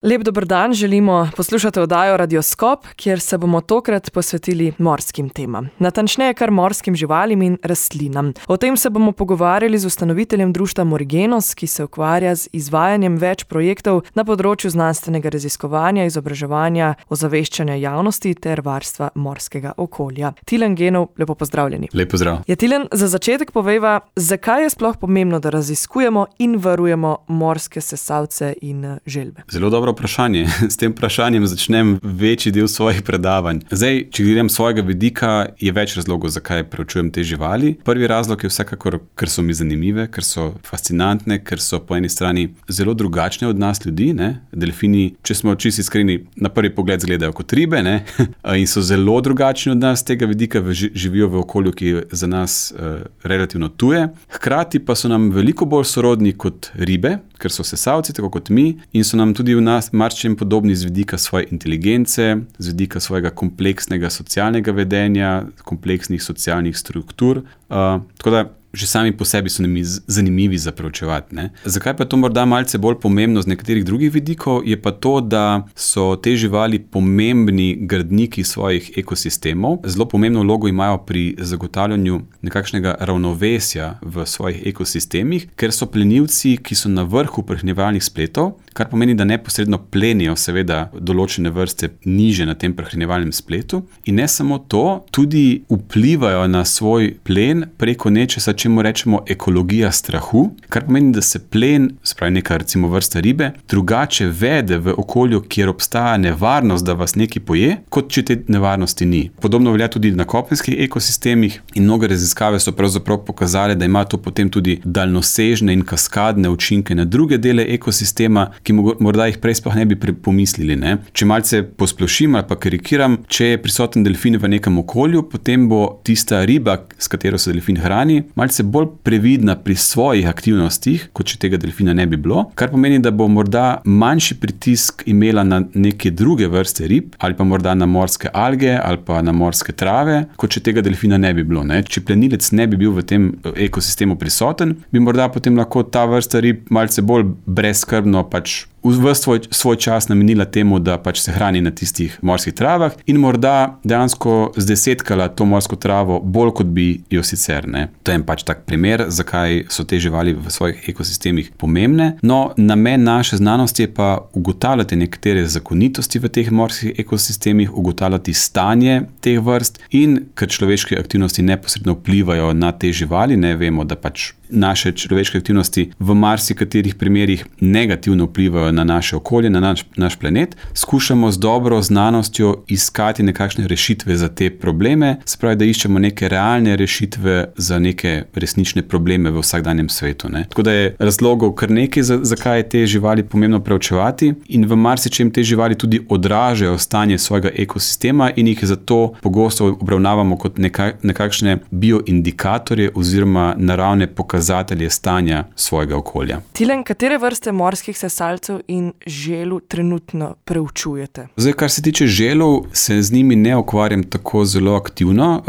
Lep dober dan, želimo poslušati oddajo Radioskop, kjer se bomo tokrat posvetili morskim temam. Natančneje kar morskim živalim in rastlinam. O tem se bomo pogovarjali z ustanoviteljem društva Morigenos, ki se ukvarja z izvajanjem več projektov na področju znanstvenega raziskovanja, izobraževanja, ozaveščanja javnosti ter varstva morskega okolja. Tilen Genov, lepo pozdravljeni. Lep pozdrav. Ja, Tilen, za začetek povejva, zakaj je sploh pomembno, da raziskujemo in varujemo morske sesalce in želve? Zelo dobro vprašanje. S tem vprašanjem začnem večji del svojih predavanj. Zdaj, če gledam svojega vidika, je več razlogov, zakaj preučujem te živali. Prvi razlog je vsekakor, ker so mi zanimive, ker so fascinantne, ker so po eni strani zelo drugačne od nas ljudi, ne? Delfini, če smo čisto iskreni, na prvi pogled izgledajo kot ribe, ne? In so zelo drugačni od nas, tega vidika živijo v okolju, ki je za nas relativno tuje. Hkrati pa so nam veliko bolj sorodni kot ribe, ker so sesalci, tako kot mi, in so nam tudi v nas marsičem podobni z vidika svoje inteligence, z vidika svojega kompleksnega socialnega vedenja, kompleksnih socialnih struktur. Tako da že sami po sebi so nam zanimivi za preučevati, ne? Zakaj pa je to morda malce bolj pomembno z nekaterih drugih vidikov, je pa to, da so te živali pomembni gradniki svojih ekosistemov. Zelo pomembno vlogo imajo pri zagotavljanju nekakšnega ravnovesja v svojih ekosistemih, ker so plenilci, ki so na vrhu prehranjevalnih spletov, kar pomeni, da neposredno plenijo seveda določene vrste niže na tem prehranjevalnem spletu. In ne samo to, tudi vplivajo na svoj plen preko nečesa, čemu rečemo ekologija strahu, kar pomeni, da se plen, spravi neka recimo vrsta ribe, drugače vede v okolju, kjer obstaja nevarnost, da vas nekaj poje, kot če te nevarnosti ni. Podobno velja tudi na kopenskih ekosistemih in mnoge raziskave so pravzaprav pokazale, da ima to potem tudi daljnosežne in kaskadne učinke na druge dele ekosistema, ki morda jih prej sploh ne bi pomislili, ne? Če malce posplošim ali pa karikiram, če je prisoten delfin v nekem okolju, potem bo tista riba, s katero se delfin hrani, malce bolj previdna pri svojih aktivnostih, kot če tega delfina ne bi bilo, kar pomeni, da bo morda manjši pritisk imela na neke druge vrste rib, ali pa morda na morske alge, ali pa na morske trave, kot če tega delfina ne bi bilo, ne? Če plenilec ne bi bil v tem ekosistemu prisoten, bi morda potem lahko ta vrsta rib malce bolj brezskrbno svoj čas namenila temu, da se hrani na tistih morskih travah in morda dejansko zdesetkala to morsko travo bolj, kot bi jo sicer, ne. To je tak primer, zakaj so te živali v svojih ekosistemih pomembne. No, namen naše znanosti je pa ugotavljati nekatere zakonitosti v teh morskih ekosistemih, ugotavljati stanje teh vrst in ker človeške aktivnosti neposredno vplivajo na te živali, ne vemo, da naše človeške aktivnosti v marsikaterih primerih negativno vplivajo na naše okolje, na naš planet, skušamo z dobro znanostjo iskati nekakšne rešitve za te probleme, spravi, da iščemo neke realne rešitve za neke resnične probleme v vsakdanjem svetu, ne. Tako da je razlogov kar nekaj, zakaj je te živali pomembno preučevati in v marsičem te živali tudi odražajo stanje svojega ekosistema in jih zato pogosto obravnavamo kot nekakšne bioindikatorje oziroma naravne pokazatelje stanja svojega okolja. Tilen, katere vrste morskih sesalcev in želv trenutno preučujete? Zdaj, kar se tiče želv, se z njimi ne ukvarjam tako zelo aktivno.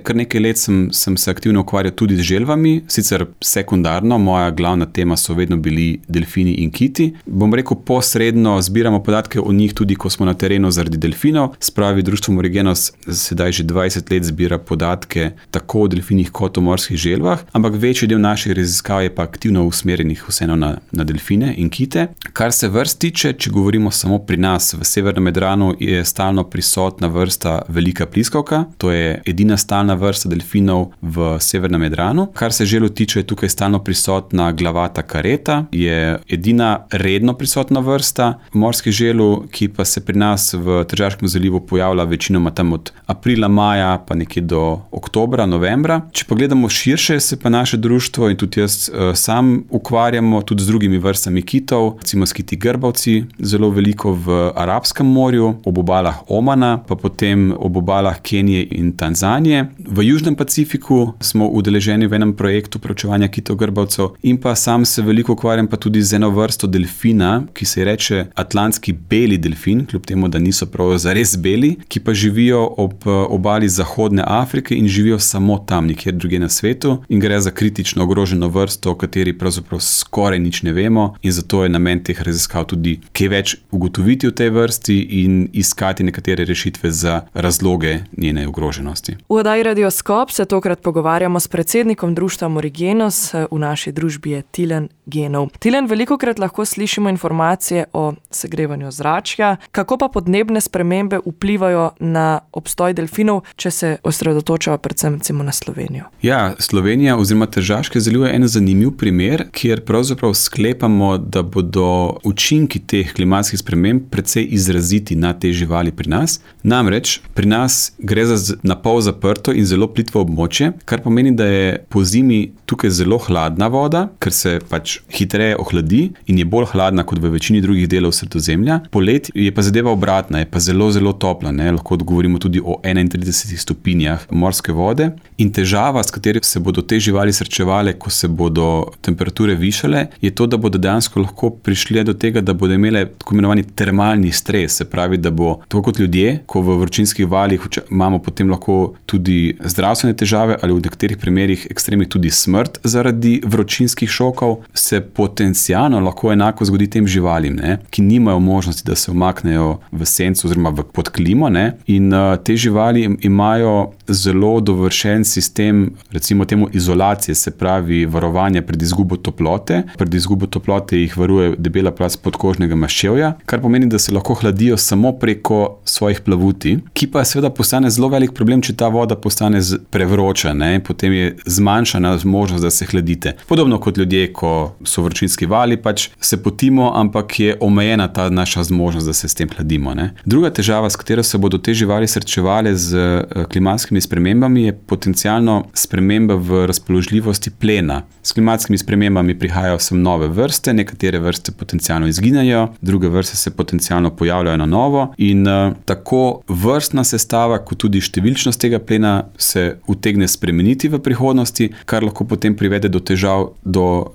Kar nekaj let sem se aktivno ukvarjal tudi z želvami, sicer sekundarno, moja glavna tema so vedno bili delfini in kiti. Bom rekel, posredno zbiramo podatke o njih tudi, ko smo na terenu zaradi delfinov. Spravi, društvo Morigenos sedaj že 20 let zbira podatke tako o delfinih kot o morskih želvah, ampak večji del naših raziskav je pa aktivno usmerjenih vseeno na delfine in kite. Kar se vrst tiče, če govorimo samo pri nas, v severnem Jadranu je stalno prisotna vrsta velika pliskavka, to je edina stalna vrsta delfinov v severnem Jadranu. Kar se želv tiče, je tukaj stalno prisotna glavata kareta, je edina redno prisotna vrsta morskih želv, ki pa se pri nas v Tržaškem zalivu pojavlja večinoma tam od aprila, maja, pa nekje do oktobra, novembra. Če pogledamo širše, se pa naše društvo in tudi jaz sam ukvarjamo tudi z drugimi vrstami kitov, recimo s kiti grbavci, zelo veliko v Arabskem morju, ob obalah Omana, pa potem ob obalah Kenije in Tanzanije. V Južnem Pacifiku smo udeleženi v enem projektu preučevanja kitov grbavcev in pa sam se veliko ukvarjam pa tudi z eno vrsto delfina, ki se reče atlantski beli delfin, kljub temu, da niso prav zares beli, ki pa živijo ob obali Zahodne Afrike in živijo samo tam, nikjer drugje na svetu in gre za kritično kritično ogroženo vrsto, o kateri pravzaprav skoraj nič ne vemo, in zato je namen teh raziskav tudi kaj več ugotoviti v tej vrsti in iskati nekatere rešitve za razloge njene ogroženosti. V oddaji Radioskop se tokrat pogovarjamo s predsednikom društva Morigenos, v naši družbi je Tilen Genov. Tilen, velikokrat lahko slišimo informacije o segrevanju ozračja, kako pa podnebne spremembe vplivajo na obstoj delfinov, če se osredotočava predvsem na Slovenijo. Ja, Slovenija oziroma Tržaški zaliv je en zanimiv primer, kjer pravzaprav sklepamo, da bodo učinki teh klimatskih sprememb precej izraziti na te živali pri nas. Namreč pri nas gre za napol zaprto in zelo plitvo območje, kar pomeni, da je po zimi tukaj zelo hladna voda, ker se pač hitreje ohladi in je bolj hladna kot v večini drugih delov Sredozemlja. Poleti je pa zadeva obratna, je pa zelo, zelo topla. Lahko govorimo tudi o 31 stopinjah morske vode. In težava, s katero se bodo te živali srečevale, ko se bodo temperature višale, je to, da bodo dejansko lahko prišli do tega, da bodo imele tako imenovani termalni stres. Se pravi, da bo tako kot ljudje, ko v vročinskih valih imamo potem lahko tudi zdravstvene težave ali v nekaterih primerih ekstremih tudi smrt zaradi vročinskih šokov, se potencialno lahko enako zgodi tem živalim, ki nimajo možnosti, da se umaknejo v senco oziroma pod klimo. In te živali imajo zelo dovršen sistem, recimo temu izolacije, se pravi varovanja pred izgubo toplote. Pred izgubo toplote jih varuje debela plast podkožnega maščevja, kar pomeni, da se lahko hladijo samo preko svojih plavuti, ki pa seveda postane zelo velik problem, če ta voda postane prevroča, potem je zmanjšana možnost, da se hladite. Podobno kot ljudje, ko so vročinski vali, pač se potimo, ampak je omejena ta naša zmožnost, da se s tem hladimo. Druga težava, s katero se bodo te živali srečevale z klimatskimi spremembami, je potencialno sprememba v razpoložljivosti plena. S klimatskimi spremembami prihajajo sem nove vrste, nekatere vrste potencialno izginejo, druge vrste se potencialno pojavljajo na novo in tako vrstna sestava, kot tudi številčnost tega plena se utegne spremeniti v prihodnosti, kar lahko potem privede do težav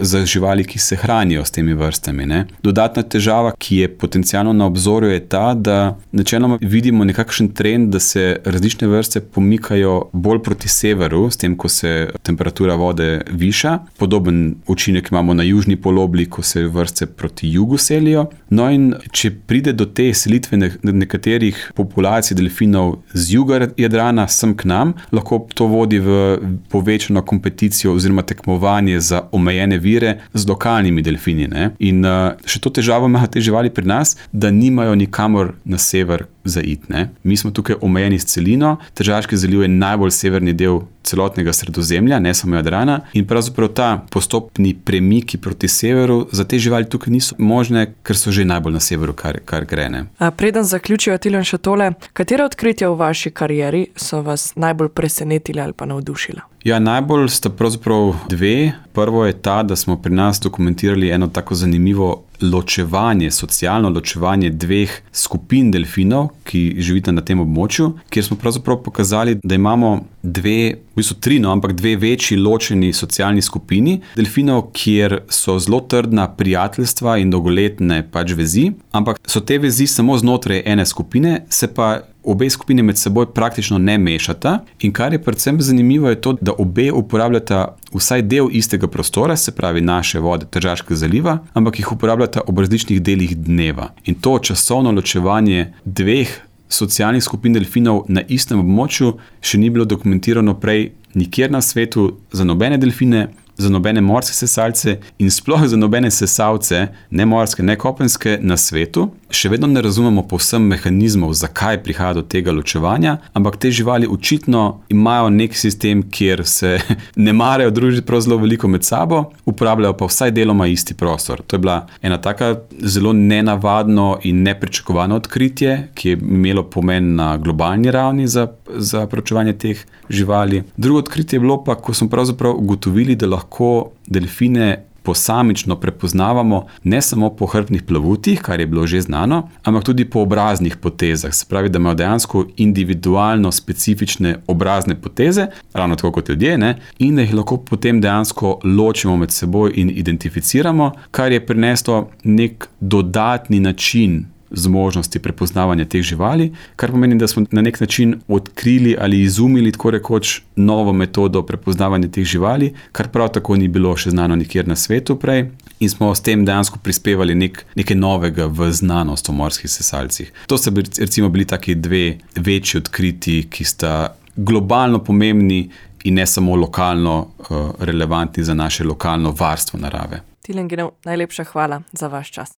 za živali, ki se hranijo s temi vrstami. Dodatna težava, ki je potencialno na obzorju, je ta, da načeloma vidimo nekakšen trend, da se različne vrste pomikajo bolj proti severu, s tem, ko se temperatura vode viša. Podoben učinek imamo na južni polobli, ko se vrste proti jugu selijo. No in če pride do te selitve nekaterih populacij delfinov z juga Jadrana sem k nam, lahko to vodi v povečano kompeticijo oziroma tekmovanje za omejene vire z lokalnimi delfini. In še to težavo imajo te živali pri nas, da nimajo nikamor na sever za iti. Mi smo tukaj omejeni s celino, Tržaški zaliv je najbolj severni del celotnega Sredozemlja, ne samo Jadrana, in pravzaprav ta postopni premiki proti severu za te živali tukaj niso možne, ker so že najbolj na severu, kar gre. Preden zaključijo, Tilen, še tole, katera odkritja v vaši karieri so vas najbolj presenetili ali pa navdušila? Ja, najbolj sta pravzaprav dve. Prvo je ta, da smo pri nas dokumentirali eno tako zanimivo ločevanje, socialno ločevanje dveh skupin delfinov, ki živita na tem območju, kjer smo pravzaprav pokazali, da imamo dve večji ločeni socialni skupini delfinov, kjer so zelo trdna prijateljstva in dolgoletne vezi, ampak so te vezi samo znotraj ene skupine, se pa obe skupine med seboj praktično ne mešata. In kar je predvsem zanimivo, je to, da obe uporabljata vsaj del istega prostora, se pravi naše vode Tržaškega zaliva, ampak jih uporabljata ob različnih delih dneva. In to časovno ločevanje dveh socialnih skupin delfinov na istem območju še ni bilo dokumentirano prej nikjer na svetu za nobene delfine, za nobene morske sesalce in sploh za nobene sesalce, ne morske, ne kopenske, na svetu. Še vedno ne razumemo povsem mehanizmov, zakaj prihaja do tega ločevanja, ampak te živali očitno imajo nek sistem, kjer se ne marajo družiti prav zelo veliko med sabo, uporabljajo pa vsaj deloma isti prostor. To je bila ena taka zelo nenavadno in nepričakovano odkritje, ki je imelo pomen na globalni ravni za preučevanje teh živali. Drugo odkritje je bilo pa, ko smo pravzaprav ugotovili, da lahko delfine posamično prepoznavamo ne samo po hrbtnih plavutih, kar je bilo že znano, ampak tudi po obraznih potezah. Se pravi, da imajo dejansko individualno specifične obrazne poteze, ravno tako kot ljudje, in da jih lahko potem dejansko ločimo med seboj in identificiramo, kar je prineslo nek dodatni način zmožnosti prepoznavanja teh živali, kar pomeni, da smo na nek način odkrili ali izumili tako rekoč novo metodo prepoznavanja teh živali, kar prav tako ni bilo še znano nikjer na svetu prej in smo s tem dejansko prispevali nekaj novega v znanost o morskih sesalcih. To so recimo bili taki dve večji odkriti, ki sta globalno pomembni in ne samo lokalno relevantni za naše lokalno varstvo narave. Tilen Genov, najlepša hvala za vaš čas.